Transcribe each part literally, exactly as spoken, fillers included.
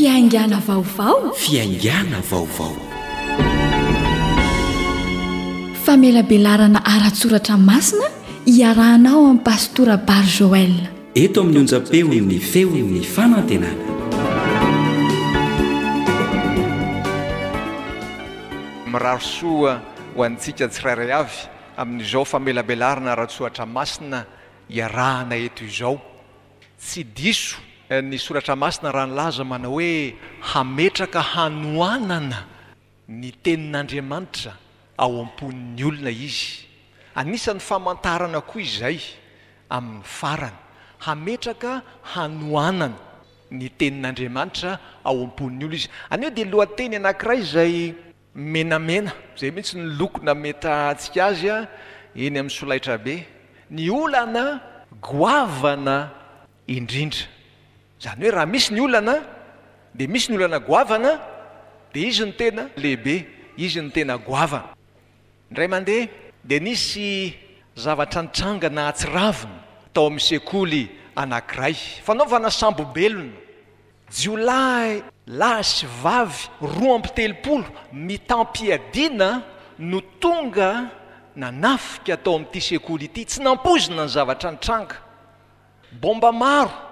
Fiaingàna vaovao. Fiaingàna vaovao. Famelabelarana ara-tsoratra masina iarahanao amin'ny Pastora Bar Joël. Eto amin'ny onjam-peon'ny feon'ny fanantenana. Mirary soa ho antsika tsirairay avy amin'izao famelabelarana ara-tsoratra masina iarahana eto izao. Tsy diso ny soratra masina raha nilaza manao hoe hametraka hanoanana ny tenin'Andriamanitra ao am-pon'ny olona izy. Anisan'ny famantarana koa izay amin'ny farany. Hametraka hanoanana ny tenin'Andriamanitra ao am-pon'ny olona izy. Anio dia lohateny anankiray izay menamena, izay mihitsy ny loko nametahantsika azy eny amin'ny solaitrabe. Ny olana goavana indrindra. Izany hoe raha misy ny olana dia misy ny olana goavana, dia izy no tena lehibe, izy no tena goavana. Indray mandeha dia nisy zavatra nitranga nahatsiravina tao amin'ny sekoly anankiray. Fanaovana sambobelona. Jiolahy lahy sy vavy roa amby telopolo mitam-piadiana no tonga nanafika tao amin'ity sekoly ity. Tsy nampoizina ny zavatra nitranga. Bomba maro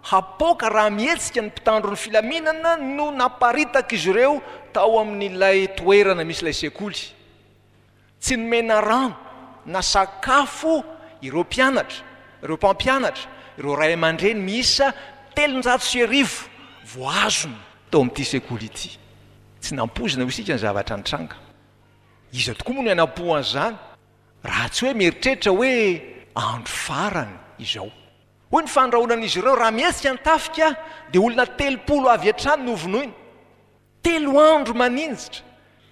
hapoaka raha mihetsika ny mpitandro ny filaminana no naparitaka izy ireo tao amin'ilay toerana misy ilay sekoly. Tsy nomena rano na sakafo ireo mpianatra, ireo mpampianatra, ireo ray aman-dreny miisa telonjato sy arivo voazona tao amin'ity sekoly ity. Tsy nampoizina ho isika ny zavatra nitranga. Iza tokoa moa no hanampo an'izany raha tsy hoe mieritreritra hoe andro farany izao. Hoy ny fandrahonan'izy ireo, raha mihetsika ny tafika dia olona telopolo avy hatrany no vonoina. Telo andro maninjitra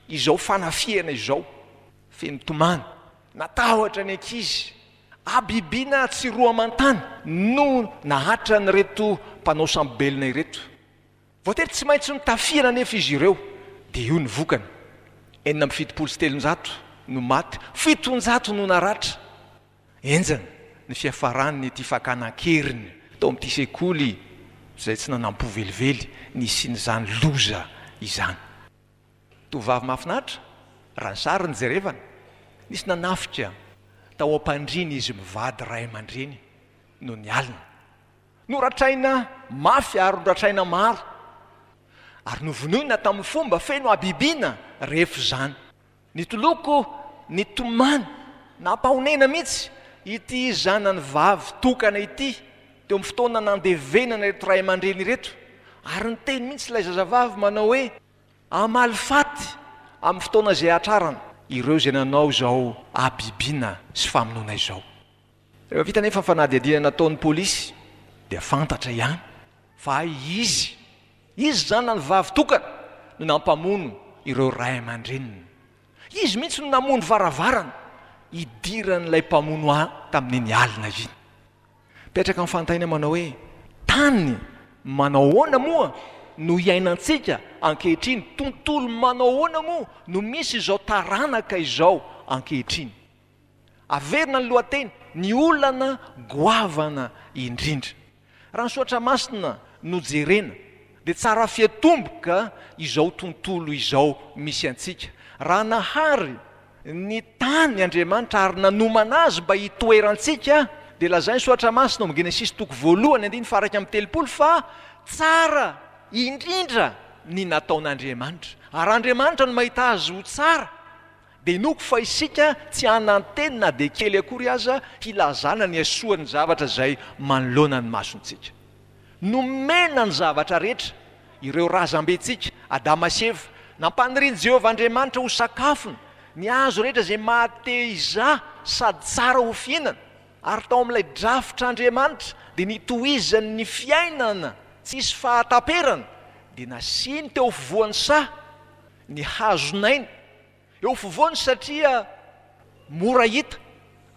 izao fanafihana izao. Feno tomany, natahotra ny ankizy, habibiana tsy roa aman-tany no nahatran'ireto mpanao sambobelona ireto. Voatery tsy maintsy notafihana nefa izy ireo, dia io ny vokany. Enina amby fitopolo sy telonjato no maty, fitonjato no naratra. Enjana ny fiafaran'ity fakana an-keriny tao amin'ity sekoly izay tsy nanampo velively nisian'izany loza izany. Tovovavy mahafinaritra, raha ny sary no jerevana, nisy nanafika tao am-pandriana izy mivady ray aman-dreny noho ny alina. Noratraina mafy ary noratraina maro, ary novonoina tamin'ny fomba feno habibiana rehefa izany. Nitoloko nitomany, nampahonena mihitsy ity zanany vavy tokana ity teo amin'ny fotoana nandevenana ireto ray aman-dreny ireto, ary niteny mihitsy ilay zazavavy manao hoe hamaly faty amin'ny fotoana izay hatrarana ireo izay nanao izao habibiana sy famonoana izao. Rehefa vita nefa ny fanadihadiana nataon'ny polisy dia fantatra ihany fa izy, izy zanany vavy tokana no nampamono ireo ray aman-dreniny. Izy mihitsy no namono varavarana hidiran'ilay mpamono ahy tamin'iny alina iny. Mipetraka amin'ny fanontaniana manao hoe tany manao ahoana moa no iainantsika ankehitriny, tontolo manao ahoana moa no misy izao taranaka izao ankehitriny. Averina ny lohateny, ny olana goavana indrindra. Raha ny soratra masina no jerena dia tsara fiatomboka izao tontolo izao misy antsika. Raha nahary ny tany Andriamanitra ary nanomana azy mba hitoerantsika, dia lazainy soratra masina ao amin'ny Genesisy toko voalohany andininy faha-iraika amby telopolo fa tsara indrindra ny nataon'Andriamanitra. Ary Andriamanitra no mahita azy ho tsara, dia inoako fa isika tsy hananteny na dia kely akory aza hilazana ny hasoan'ny zavatra izay manoloana ny masontsika. Nomena ny zavatra rehetra ireo razambentsika, Adama sy Eva. Nampanirian'i Jehovah Andriamanitra ho sakafony ny hazo rehetra izay maha-te-hizaha sady tsara ho fihinana. Ary tao amin'ilay drafitr'Andriamanitra dia nitohizany ny fiainana tsisy fahataperana, dia nasiany teo afovoan'ny saha ny hazon'aina. Eo afovoany satria mora hita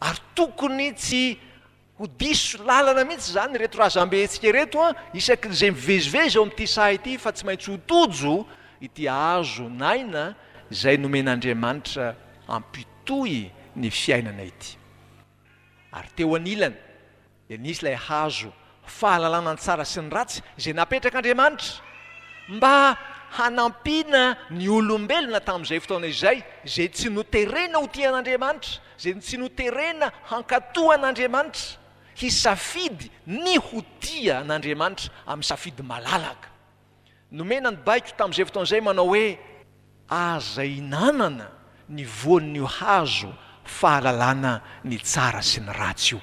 ary tokony tsy ho diso lalana mihitsy izany ireto razambentsika ireto an, isaky ny izay mivezivezy ao amin'ity saha ity, fa tsy maintsy ho tojo ity hazon'aina izay nomen'Andriamanitra hampitohy ny fiainana ity. Ary teo anilany dia nisy ilay hazo fahalalana ny tsara sy ny ratsy izay napetrak'Andriamanitra mba hanampiana ny olombelona tamin'izay fotoana izay, izay tsy noterena ho tia an'Andriamanitra, izay tsy noterena hankatò an'Andriamanitra, hisafidy ny ho tia an'Andriamanitra amin'ny safidy malalaka. Nomena ny baiko tamin'izay fotoana izay manao hoe aza hinanana ny voan'io hazo fahalalana ny tsara sy ny ratsy io.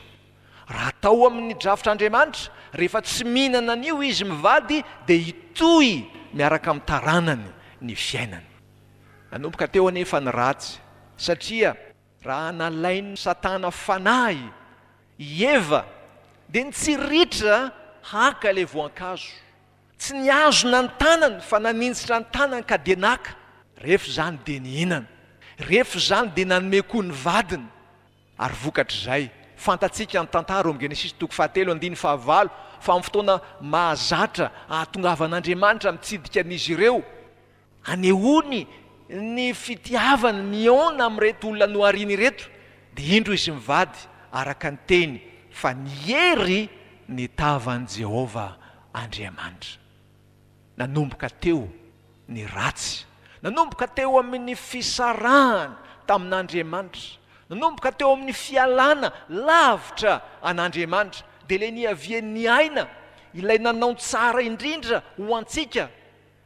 Raha tao amin'ny drafitr'Andriamanitra, rehefa tsy mihinana an'io izy mivady dia hitohy miaraka amin'ny taranany ny fiainany. Nanomboka teo anefa ny ratsy, satria raha nalain'ny Satana fanahy i Eva dia nitsiritra haka ilay voankazo. Tsy nihazona ny tanany fa naninjitra ny tanany ka dia naka. Rehefa izany dia nihinana. Rehefa izany dia nanome koa ny vadiny. Ary vokatr'izay, fantatsika ny tantara ao amin'ny Genesisy toko fahatelo andininy fahavalo fa amin'ny fotoana mahazatra ahatongavan'Andriamanitra mitsidika an'izy ireo, anehoany ny fitiavany mihaona amin'ireto olona nohariany ireto, dia indro izy mivady araka ny teny fa niery ny tavan'i Jehovah Andriamanitra. Nanomboka teo ny ratsy, nanomboka teo amin'ny fisarahana tamin'Andriamanitra, nanomboka teo amin'ny fialana lavitra an'Andriamanitra, dia ilay niavian'ny aina, ilay nanao tsara indrindra ho antsika.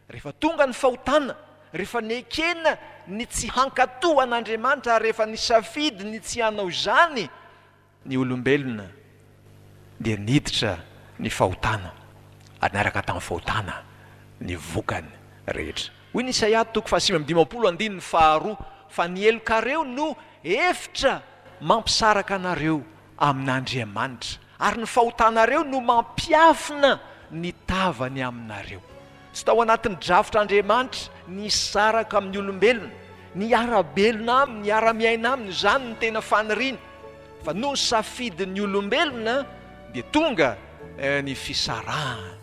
Rehefa tonga ny fahotana, rehefa nekena ny tsy hankatò an'Andriamanitra, ary rehefa nisafidy ny tsy hanao izany ny olombelona, dia niditra ny fahotana, ary niaraka tamin'ny fahotana ny vokany rehetra. Hoy ny Isaia toko fahasivy amby dimampolo andininy faharoa, fa ny helokareo no efitra mampisaraka anareo amin'Andriamanitra, ary ny fahotanareo no mampiafina ny tavany aminareo. Tsy tao anatin'ny drafitr'Andriamanitra ny hisaraka amin'ny olombelona, ny hiara-belona aminy, ny hiara-miaina aminy, izany no tena faniriany. Fa noho ny safidin'ny olombelona dia tonga ny fisarahana,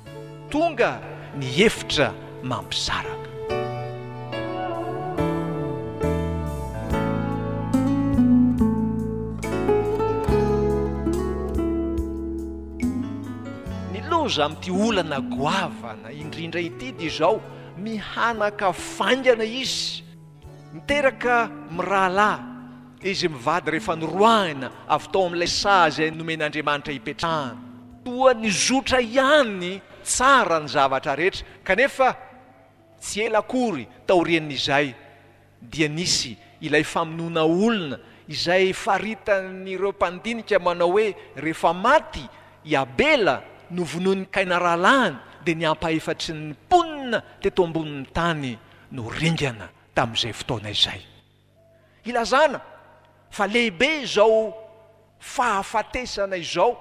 tonga ny efitra mampisaraka. Ny loza amin'ity olana goavana indrindra ity dia izao, mihanaka faingana izy, miteraka mirahalahy izy mivady rehefa noroahina avy tao amin'ilay saha izay nomen'Andriamanitra hipetrahana. Toa nizotra ihany tsara ny zavatra rehetra, kanefa tsy ela akory taorian'izay dia nisy ilay famonoana olona izay faritan'ireo mpandinika manao hoe rehefa maty i Abela novonoin'i Kaina rahalahiny dia ny ampahefatry ny mponina teto ambonin'ny tany no ringana tamin'izay fotoana izay. Ilazana fa lehibe izao fahafatesana izao,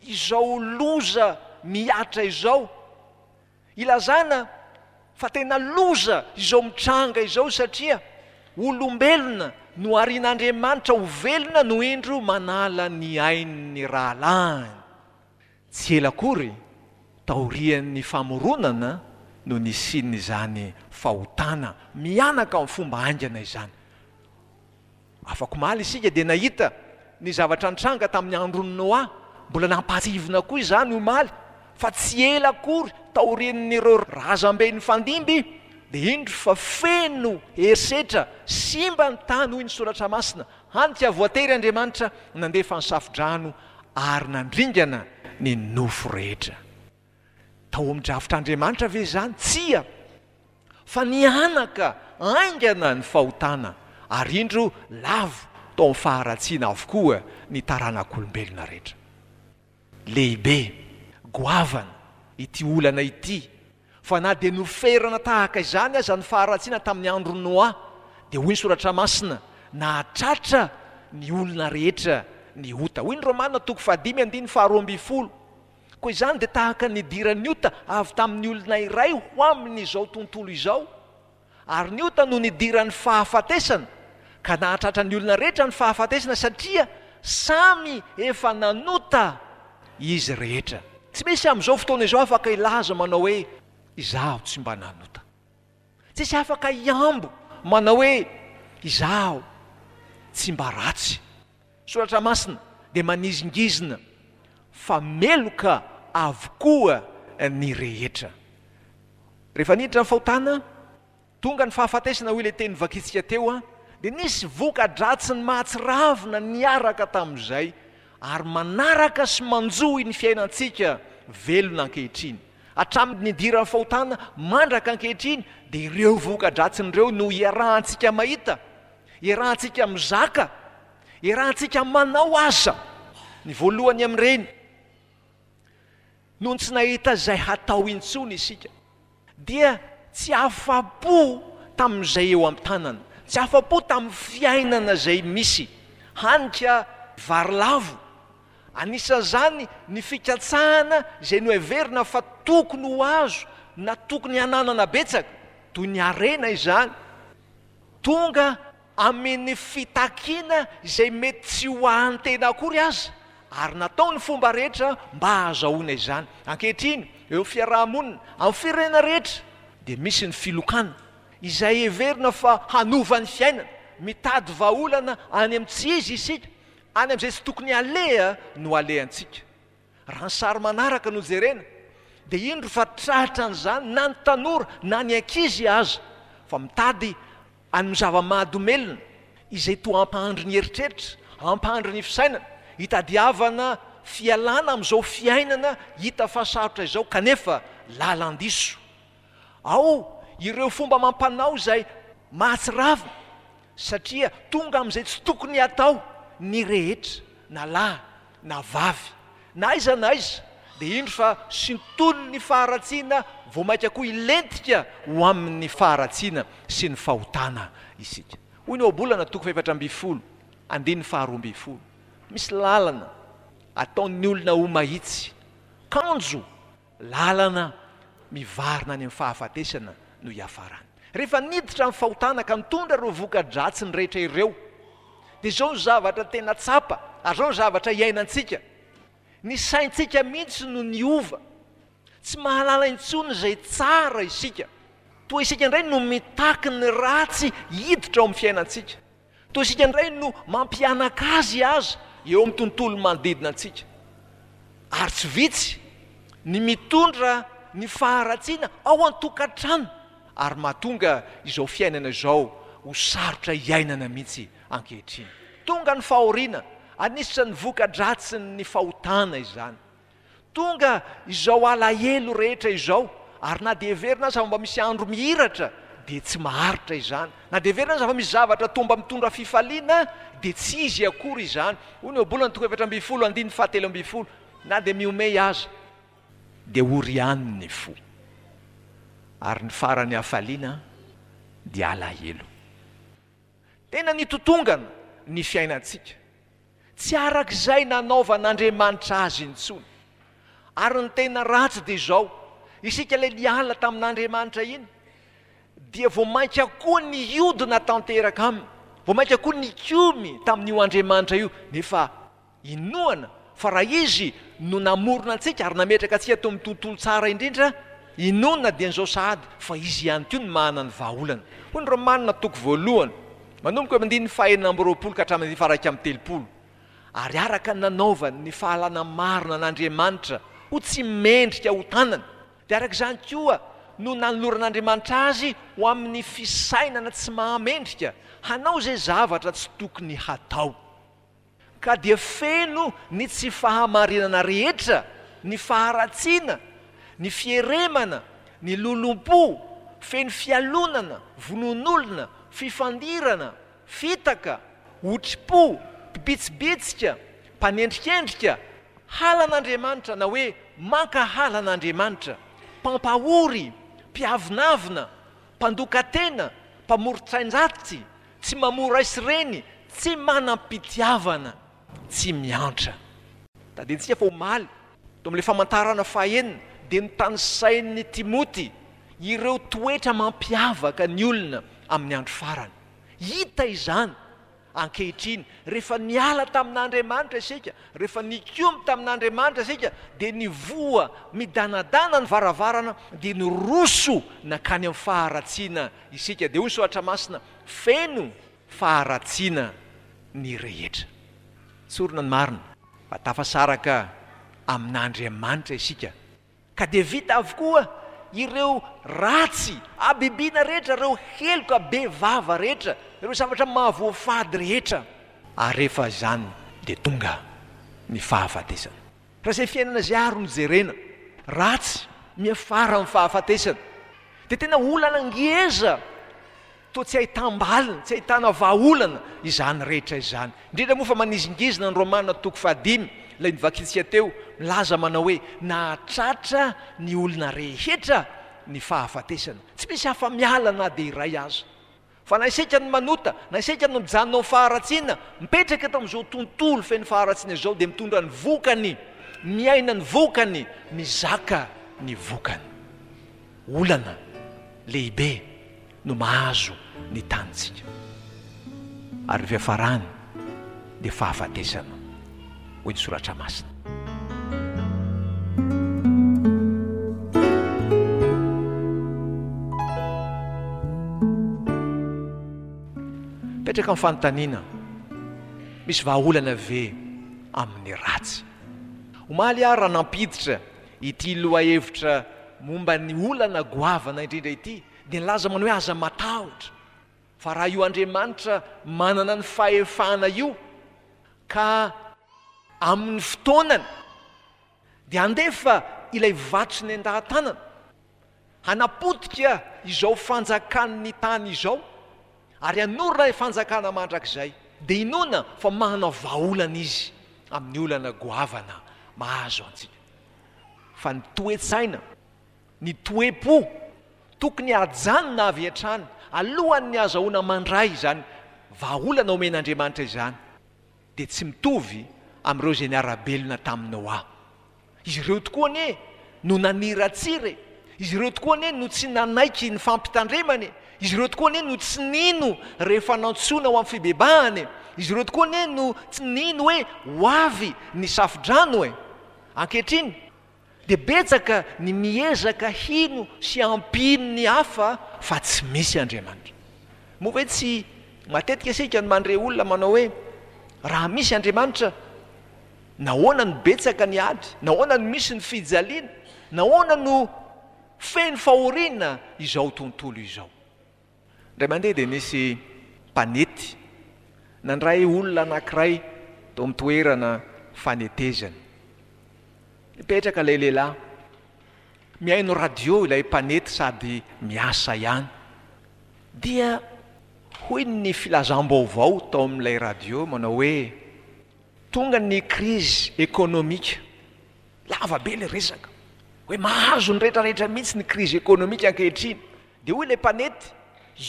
izao loza mihatra izao. Ilazana fa tena loza izao mitranga izao satria olombelona noharian'Andriamanitra ho velona no indro manala ny ain'ny rahalahiny. Tsy ela akory taorian'ny famoronana no nisian'izany fahotana mihanaka amin'ny fomba haingana izany. Afak'omaly isika dia nahita ny zavatra nitranga tamin'ny andron'i Noa, mbola nampahatsiahivina koa izany omaly fa tsy ela akory taorian'ireo razambe nifandimby dia indro fa feno herisetra, simba ny tany hoy ny soratra masina, hany ka voatery Andriamanitra nandefa ny safodrano ary nandringana ny nofo rehetra. Tao amin'ny drafitr'Andriamanitra ve izany? Tsia, fa nihanaka haingana ny fahotana ary indro lavo tao amin'ny faharatsiana avokoa ny taranak'olombelona rehetra. Lehibe, goavana ity olana ity, fa na dia noferana tahaka izany aza ny faharatsiana tamin'ny andron'i Noa, dia hoy ny soratra masina, nahatratra ny olona rehetra ny ota. Hoy ny Romana toko fahadimy andininy faharoa ambin'ny folo. Koa izany dia tahaka ny nidiran'ny ota avy tamin'ny olona iray ho amin'izao tontolo izao, ary ny ota no nidiran'ny fahafatesana, ka nahatratra ny olona rehetra ny fahafatesana satria samy efa nanota izy rehetra. Tsy misy amin'izao fotoana izao afaka hilaza manao hoe izaho tsy mba nanota. Tsisy afaka hiambo manao hoe izaho tsy mba ratsy. Soratra masina dia manizingizina fa meloka avokoa ny rehetra. Rehefa niditra ny fahotana, tonga ny fahafatesana, hoy ilay teny novakintsika teo, dia nisy voka-dratsiny mahatsiravina niaraka tamin'izay ary manaraka sy manjohy ny fiainantsika velona ankehitriny. Hatramin'ny nidiran'ny fahotana mandraka ankehitriny dia ireo voka-dratsiny ireo no iarahantsika mahita, iarahantsika mizaka, iarahantsika manao aza. Ny voalohany amin'ireny, nony tsy nahita izay hatao intsony isika, dia tsy afa-po tamin'izay eo am-tanana, tsy afa-po tamin'ny fiainana izay misy, hany ka vary lavo. Anisan'izany ny fikatsahana izay noheverina fa tokony ho azo na tokony hananana betsaka, toy ny harena izany. Tonga amin'ny fitakiana izay mety tsy ho an'ny tena akory aza, ary natao ny fomba rehetra mba hahazahoana izany. Ankehitriny, eo amin'ny fiaraha-monina, amin'ny firenena rehetra, dia misy ny filokana, izay heverina fa hanova ny fiainana. Mitady vahaolana any amin'ny tsy izy isika, any amin'izay tsy tokony haleha no alehantsika. Raha ny sary manaraka no jerena, dia indro fa tratran'izany na ny tanora na ny ankizy aza, fa mitady amin'ny zava-mahadomelina izay toa hampahandry ny eritreritra, hampahandry ny fisainana, hitadiavana fialana amin'izao fiainana hita fa sarotra izao kanefa lalan-diso. Ao ireo fomba amam-panao izay mahatsiravina satria tonga amin'izay tsy tokony hatao ny rehetra na lahy na vavy, na aiza na aiza, dia indro fa sintonin'ny faharatsiana vao mainka koa hilentika ho amin'ny faharatsiana sy ny fahotana isika. Hoy ny Ohabolana toko fahefatra ambin'ny folo, andininy faharoa ambin'ny folo, Misy lalana ataon'ny olona ho mahitsy, kanjo lalana mivarina any amin'ny fahafatesana no hiafarany. Rehefa niditra ny fahotana ka nitondra ireo voka-dratsiny rehetra ireo, dia izao ny zavatra tena tsapa ary izao ny zavatra iainantsika, ny saintsika mihitsy no niova. Tsy mahalala intsony izay tsara isika. Toa isika indray no mitaky ny ratsy hiditra ao amin'ny fiainantsika. Toa isika indray no mampianaka azy aza eo amin'ny tontolo manodidina antsika. Ary tsy vitsy ny mitondra ny faharatsiana ao an-tokantrano ary mahatonga izao fiainana izao ho sarotra iainana mihitsy ankehitriny. Tonga ny fahoriana, anisan'ny voka-dratsin'ny fahotana izany. Tonga izao alahelo rehetra izao, ary na dia heverina aza fa mba misy andro mihiratra, dia tsy maharitra izany. Na dia heverina aza fa misy zavatra toa mba mitondra fifaliana, dia tsy izy akory izany. Hoy ny Ohabolana toko efatra ambin'ny folo andininy fahatelo ambin'ny folo, Na dia mihomehy aza, dia ory ihany ny fo, ary ny faran'ny hafaliana dia alahelo. Tena nitotongana ny fiainantsika. Tsy araka izay nanaovan'Andriamanitra azy intsony. Ary ny tena ratsy dia izao, isika ilay niala tamin'Andriamanitra iny, dia vao mainka koa nihodina tanteraka aminy, vao mainka koa nikomy tamin'io Andriamanitra io, nefa Inoana fa raha Izy no namorona antsika ary nametraka antsika teo amin'ny tontolo tsara indrindra, inoana dian'izao sahady fa Izy ihany koa no manana ny vahaolana. Hoy ny Romana toko voalohany, manomboka eo amin'ny andininy fahenina amby roapolo ka hatramin'ny andininy faha-iraika amby telopolo, Ary araka ny nanaovany ny fahalalana marina an'Andriamanitra ho tsy mendrika ho tanany, dia araka izany koa no nanoloran'Andriamanitra azy ho amin'ny fisainana tsy mahamendrika hanao izay zavatra tsy tokony hatao. Ka dia feno ny tsy fahamarinana rehetra, ny faharatsiana, ny fieremana, ny lolompo, feno fialonana, vonoan'olona, fifandirana, fitaka, otri-po, mpibitsibitsika, mpanendrikendrika, halan'Andriamanitra na hoe mankahala an'Andriamanitra, mpampahory, mpiavonavona, mpandoka tena, mpamoron-tsain-dratsy, tsy mamoa ray sy reny, tsy manam-pitiavana, tsy miantra. Tadidintsika fa omaly, tao amin'ilay famantarana fahenina, dia notanisain'i Timoty ireo toetra mampiavaka ny olona amin'ny andro farany. Hita izany ankehitriny, rehefa niala tamin'Andriamanitra isika, rehefa nikomy tamin'Andriamanitra isika, dia nivoha midanadana ny varavarana, dia niroso nankany amin'ny faharatsiana isika. Dia hoy ny Soratra Masina, Feno faharatsiana ny rehetra. Tsorina ny marina fa tafasaraka amin'Andriamanitra isika, ka dia vita avokoa ireo ratsy, habibiana rehetra, ireo heloka be vava rehetra, ireo zavatra mahavoafady rehetra. Ary rehefa izany dia tonga ny fahafatesana. Raha izay fiainana izay ary no jerena, ratsy miafara amin'ny fahafatesana, dia tena olana ngeza toa tsy ahitam-baliny, tsy ahitana vahaolana izany rehetra izany. Indrindra moa fa manizingizina ny Romana toko fahadimy, ilay novakintsika teo, milaza manao hoe nahatratra ny olona rehetra ny fahafatesana. Tsy misy afa-miala na dia iray aza. Fa na isika no manota, na isika no mijanona ao faharatsiana, mipetraka eto amin'izao tontolo feno faharatsiana izao, dia mitondra ny vokany, miaina ny vokany, mizaka ny vokany. Olana lehibe no mahazo ny tanintsika. Ary ny fiafarany dia fahafatesana, hoy ny soratra masina. Petraka ny fanontaniana, misy vahaolana ve amin'ny ratsy? Omaly aho raha nampiditra ity lohahevitra momba ny olana goavana indrindra ity, dia nilaza manao hoe aza matahotra, fa raha io Andriamanitra manana ny fahefana io ka amin'ny fotoanany dia handefa ilay vato sy ny endahan-tanana hanapotika izao fanjakan'ny tany izao ary hanorina ilay fanjakana mandrakizay, dia inoana fa manana vahaolana izy amin'ny olana goavana mahazo antsika. Fa ny toe-tsaina, ny toe-po tokony hajanona avy hatrany alohan'ny hazahoana mandray izany vahaolana omen'Andriamanitra izany, dia tsy mitovy amin'ireo izay niara-belona tamin'i Noa. Izy ireo tokoa anie no naniratsira e! Izy ireo tokoa anie no tsy nanaiky ny fampitandremana e! Izy ireo tokoa anie no tsy nino rehefa nantsoina ho amin'ny fibebahana e! Izy ireo tokoa anie no tsy nino hoe ho avy ny safodrano e! Ankehitriny dia betsaka ny miezaka hino sy hampino ny hafa fa tsy misy Andriamanitra. Moa ve tsy matetika isika no mandre olona manao hoe raha misy Andriamanitra, nahoana no betsaka ny ady? Nahoana no misy ny fijaliana? Nahoana no feno fahoriana izao tontolo izao? Indray mandeha dia nisy mpanety nandray olona anankiray tao amin'ny toerana fanetezana. Nipetraka ilay lehilahy, mihaino radio ilay mpanety sady miasa ihany. Dia hoy ny filazam-baovao tao amin'ilay radio manao hoe tonga ny crise économique. Lava be ilay resaka hoe mahazo ny rehetrarehetra mihitsy ny crise économique ankehitriny. Dia hoy ilay mpanety,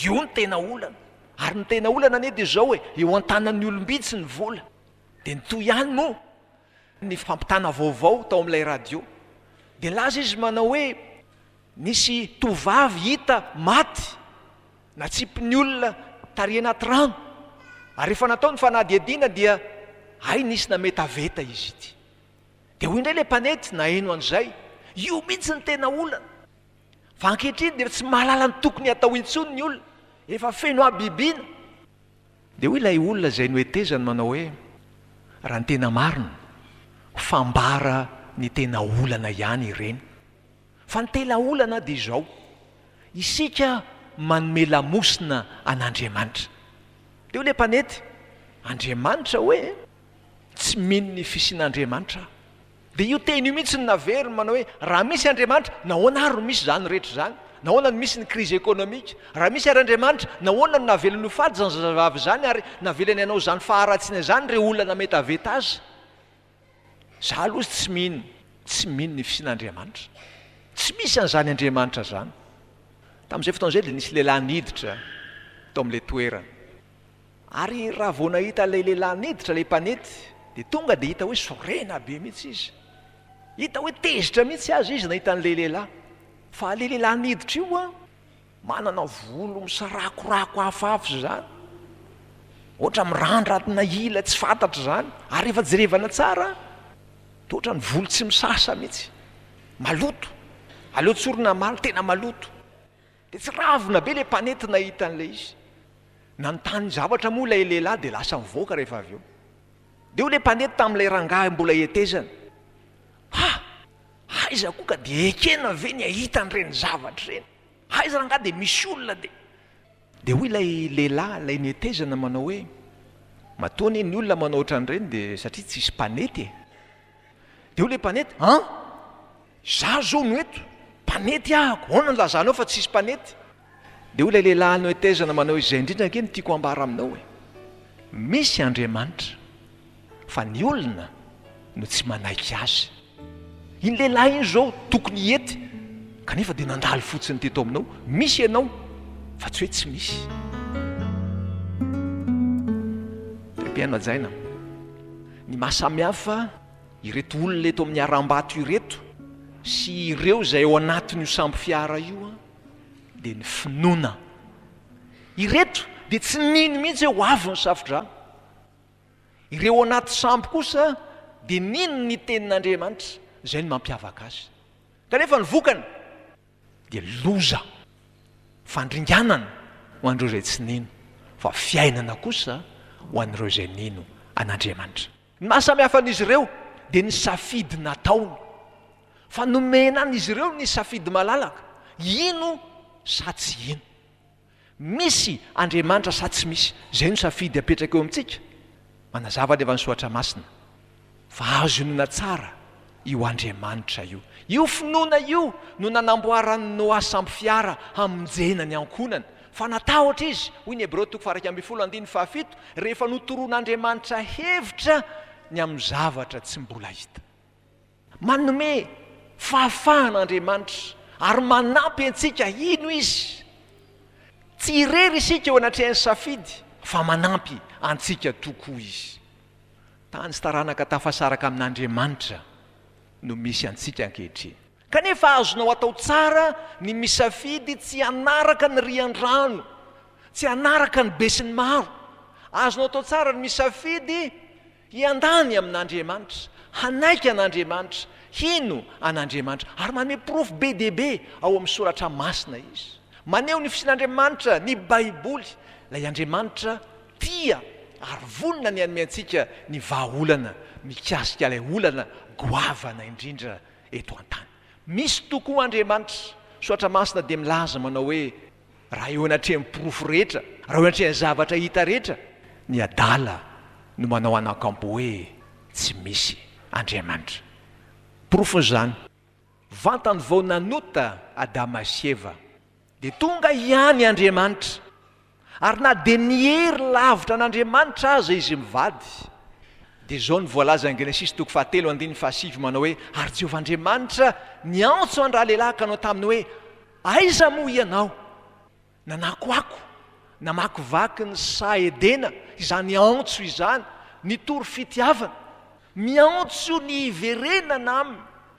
io ny tena olana. Ary ny tena olana anie dia izao hoe eo an-tanan'ny olom-bitsy ny vola. Dia nitohy ihany moa ny fampitana vaovao tao amin'ilay radio. Dia nilaza izy manao hoe nisy tovovavy hita maty natsipin'ny olona tary anaty rano. Ary rehefa natao ny fanadihadiana dia hay nisy nametaveta izy ity. Dia hoy indray ilay mpanety naheno an'izay, io mihitsy ny tena olana. Fa ankehitriny dia tsy mahalala ny tokony hatao intsony ny olona, efa feno habibiana. Dia hoy ilay olona izay nohetezany manao hoe raha ny tena marina, fambara ny tena olana ihany ireny. Fa ny tena olana dia izao, isika manome lamosina an'Andriamanitra. Dia hoy ilay mpanety, Andriamanitra hoe? Tsy mino ny fisian'Andriamanitra aho. Dia io teny io mihitsy no naveriny manao hoe raha misy Andriamanitra, nahoana ary no misy izany rehetra izany? Nahoana no misy ny crise économique? Raha misy ary Andriamanitra, nahoana no navelany ho faty izany zazavavy izany ary navelany hanao izany faharatsiana izany ireo olona nametaveta azy? Za aloha tsy mino, tsy mino ny fisian'Andriamanitra. Tsy misy an'izany Andriamanitra izany. Tamin'izay fotoana izay dia nisy lehilahy niditra tao amin'ilay toerana. Ary raha vao nahita ilay lehilahy niditra ilay mpanety dia tonga dia hita hoe sorena be mihitsy izy. Hita hoe tezitra mihitsy aza izy nahita an'ilay lehilahy. Fa ilay lehilahy niditra io an, manana volo misarakorako hafahafa izany. Ohatra mirandra ila tsy fantatra izany. Ary rehefa jerevana tsara, toa ohatran'ny volo tsy misasa mihitsy. Maloto. Aleo tsorina hamaly, tena maloto. Dia tsy ravina be ilay mpanety nahita an'ilay izy. Nanontany zavatra moa ilay lehilahy dia lasa nivoaka rehefa avy eo. Dia hoy ilay mpanety tamin'ilay rangahy mbola hetezana, Ha! Aiza koa ka dia ekena ve ny hahita an'ireny zavatra ireny? Aiza rangahy dia misy olona dia. Dia hoy ilay lehilahy, ilay netezana manao hoe, matoa anie ny olona manao ohatran'ireny dia satria tsisy mpanety e. Dia hoy ilay mpanety, an! Izaho izao no eto, mpanety ahako, ahoana no ilazanao fa tsisy mpanety? Dia hoy ilay lehilahy nohetezana manao hoe, izay indrindra ange no tiako hambara aminao e. Misy Andriamanitra, fa ny olona no tsy manaiky azy. Iny lehilahy iny izao tokony hety, kanefa dia nandalo fotsiny teto aminao. Misy ianao, fa tsy hoe tsy misy. Ry mpihaino hajaina, ny maha samy hafa ireto olona eto amin'ny harambato ireto sy ireo izay ao anatin'io sambo fiara io dia ny finoana. Ireto dia tsy nino mihitsy hoe ho avy ny safodrano. Ireo ao anaty sambo kosa dia nino ny tenin'Andriamanitra, izay no mampiavaka azy. Kanefa ny vokany dia loza, fandringanana ho an'ireo izay tsy nino, fa fiainana kosa ho an'ireo izay nino an'Andriamanitra. Ny maha samy hafa an'izy ireo dia ny safidy nataony. Fa nomena an'izy ireo ny safidy malalaka, hino sa tsy hino. Misy Andriamanitra sa tsy misy? Izay no safidy apetraka eo amintsika. Manazava anefa ny Soratra Masina fa azo inoana tsara io Andriamanitra io. Io finoana io no nanamboaran'i Noa sambo fiara hamonjena ny ankohonany. Fa natahotra izy, hoy ny Hebreo toko faha-iraika ambin'ny folo andininy fahafito, rehefa notoroan'Andriamanitra hevitra ny amin'ny zavatra tsy mbola hita. Manome fahafahana Andriamanitra ary manampy antsika hino Izy. Tsy irery isika eo anatrehan'ny safidy fa manampy antsika tokoa Izy. Tany sy taranaka tafasaraka amin'Andriamanitra no misy antsika ankehitriny. Kanefa azonao atao tsara ny misafidy tsy hanaraka ny rian-drano, tsy hanaraka ny besinimaro. Azonao atao tsara ny misafidy hiandany amin'Andriamanitra, hanaiky an'Andriamanitra, hino an'Andriamanitra. Ary manome porofo be dia be ao amin'ny Soratra Masina izy. Maneho ny fisian'Andriamanitra ny Baiboly, ilay Andriamanitra tia ary vonona ny hanome antsika ny vahaolana mikasika ilay olana goavana indrindra eto an-tany. Misy tokoa Andriamanitra. Soratra Masina dia milaza manao hoe, Raha eo anatrehan'ny porofo rehetra, raha eo anatrehan'ny zavatra hita rehetra, ny adala no manao anakampo hoe tsy misy Andriamanitra. Porofon'izany, vantany vao nanota Adama sy Eva, dia tonga ihany Andriamanitra, ary na dia niery lavitra an'Andriamanitra aza izy mivady, dia izao no voalazan'ny Genesisy toko fahatelo andininy fahasivy manao hoe, Ary Jehovah Andriamanitra niantso an-dralehilahy ka nanao taminy hoe, Aiza moa ianao? Nanakoako, namakivaky ny saha Edena izany antso izany, nitory fitiavana. Miantso ny hiverenana aminy,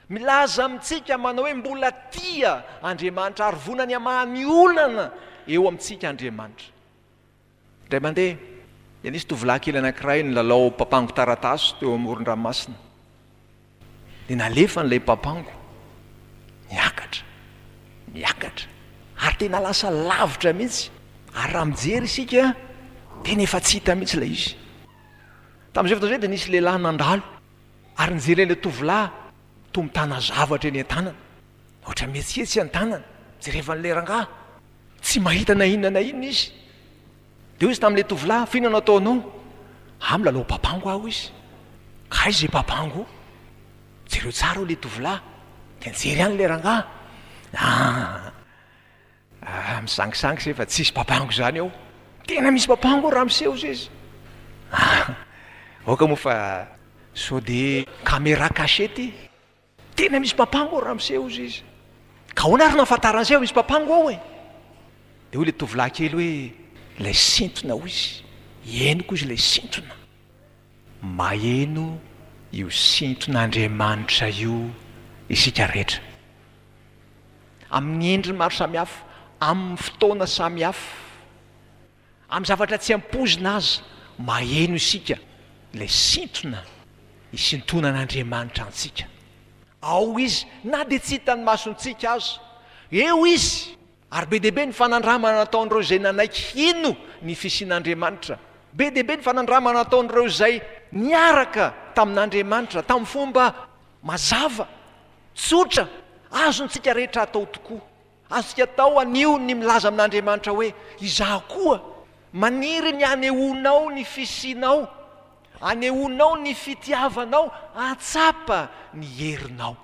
milaza amintsika manao hoe mbola tia Andriamanitra ary vonany hamaha ny olana eo amintsika Andriamanitra. Indray mandeha dia nisy tovolahy kely anankiray nilalao papango taratasy teo amoron-dranomasina. Dia nalefany ilay papango, niakatra, niakatra, ary tena lasa lavitra mihitsy. Ary raha mijery isika, tena efa tsy hita mihitsy ilay izy. Tamin'izay fotoana izay dia nisy lehilahy nandalo, ary nijery an'ilay tovolahy toa mitana zavatra eny an-tanana. Ohatra mihetsiketsika ny tanany, jerevan'ilay rangahy, tsy mahita na inona na inona izy. Dia hoy izy tamin'ilay tovolahy, fa inona no ataonao? Ah, milalao papango aho, hoy izy. Ka aiza izay papango? Jereo tsara hoy ilay tovolahy. Dia nijery ihany ilay rangahy. Ah, ah, misangisangy se fa tsisy papango izany ao. Tena misy papango ao ramose, hoy izy. Ah, aoka moa fa sao dia caméra cachée ity. Tena misy papango ao ramose hozy izy. Ka ahoana ary no ahafantaran'izay fa misy papango ao e? Dia hoy ilay tovolahy kely hoe, ilay sintona hoy izy, henoko izy ilay sintona. Maheno io sinton'Andriamanitra io isika rehetra. Amin'ny endriny maro samihafa, amin'ny fotoana samihafa. Amin'ny zavatra tsy ampoizina aza, maheno isika ilay sintona isintonan'Andriamanitra antsika. Ao Izy, na dia tsy hitan'ny masontsika aza. Eo Izy! Ary be dia be ny fanandramana nataon'ireo izay nanaiky hino ny fisian'Andriamanitra. Be dia be ny fanandramana nataon'ireo izay niaraka tamin'Andriamanitra tamin'ny fomba mazava. Tsotra, azontsika rehetra atao tokoa. Azontsika atao anio ny milaza amin'Andriamanitra hoe, izaho koa maniry ny hanehoanao ny fisianao, hanehoanao ny fitiavanao, hahatsapa ny herinao.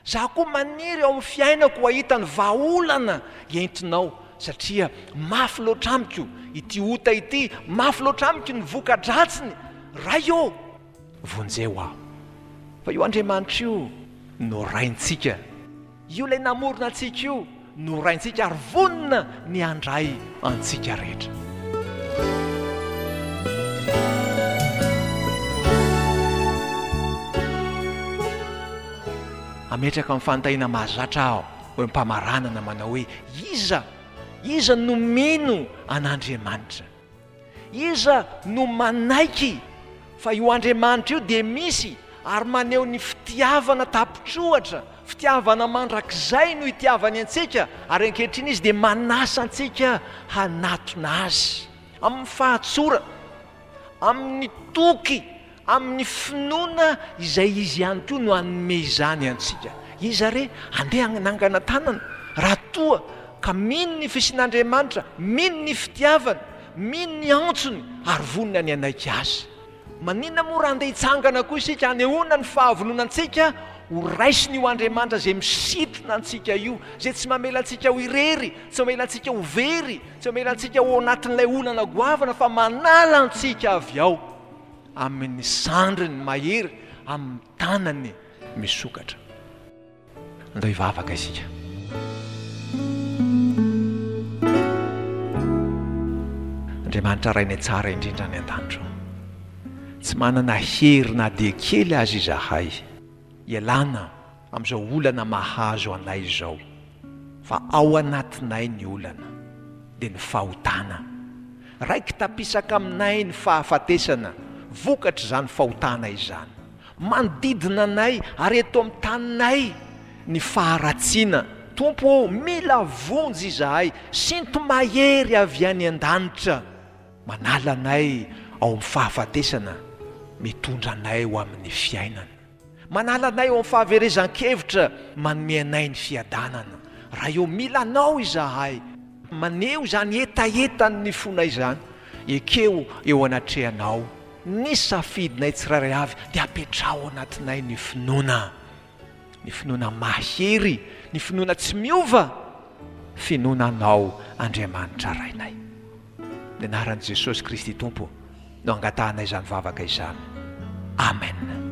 Izaho koa maniry ao amin'ny fiainako ho hahita ny vahaolana entinao, satria mafy loatra amiko ity ota ity, mafy loatra amiko ny voka-dratsiny. Ray ô, vonjeo aho. Fa io Andriamanitra io no Raintsika. Io ilay namorona antsika io no Raintsika ary vonona ny handray antsika rehetra. Ametraka amin'ny fanontaniana mahazatra aho eo am-pamaranana manao hoe, iza? Iza no mino an'Andriamanitra? Iza no manaiky fa io Andriamanitra io dia misy ary maneho ny fitiavana tapitrohatra, fitiavana mandrakizay no itiavany antsika, ary ankehitriny Izy dia manasa antsika hanatona Azy amin'ny fahatsorana, amin'ny toky, amin'ny finoana izay Izy ihany koa no hanome izany antsika. Iza re handeha hanangana tanana raha toa ka mino ny fisian'Andriamanitra, mino ny fitiavany, mino ny antsony ary vonona ny hanaiky Azy? Maninona moa raha handeha hitsangana koa isika hanehoana ny fahavononantsika ho raisin'io Andriamanitra izay misintona antsika io, izay tsy mamela antsika ho irery, tsy mamela antsika ho very, tsy mamela antsika ho ao anatin'ilay olana goavana fa manala antsika avy ao amin'ny sandriny mahery, amin'ny tanany misokatra. Andao hivavaka isika. Andriamanitra Rainay tsara indrindra any an-danitra, tsy manana hery na dia kely aza izahay hialana amin'izao olana mahazo anay izao, fa ao anatinay ny olana, dia ny fahotana. Raiki-tapisaka aminay ny fahafatesana vokatr'izany fahotana izany. Manodidina anay ary eto amin'ny taninay ny faharatsiana. Tompo ô, mila vonjy izahay, sinto-mahery avy any an-danitra. Manala anay ao amin'ny fahafatesana, mitondra anay ho amin'ny fiainana. Manala anay ao amin'ny fahaverezan-kevitra, manome anay ny fiadanana. Ray ô, mila Anao izahay. Maneho izany hetahetan'ny fonay izany. Ekeo eo anatrehanao ny safidinay tsirairay avy, dia apetraho ao anatinay ny finoana. Ny finoana mahery, ny finoana tsy miova, finoana Anao Andriamanitra Rainay. Ny anaran'i Jesosy Kristy Tompo no angatahanay izany vavaka izany. Amen.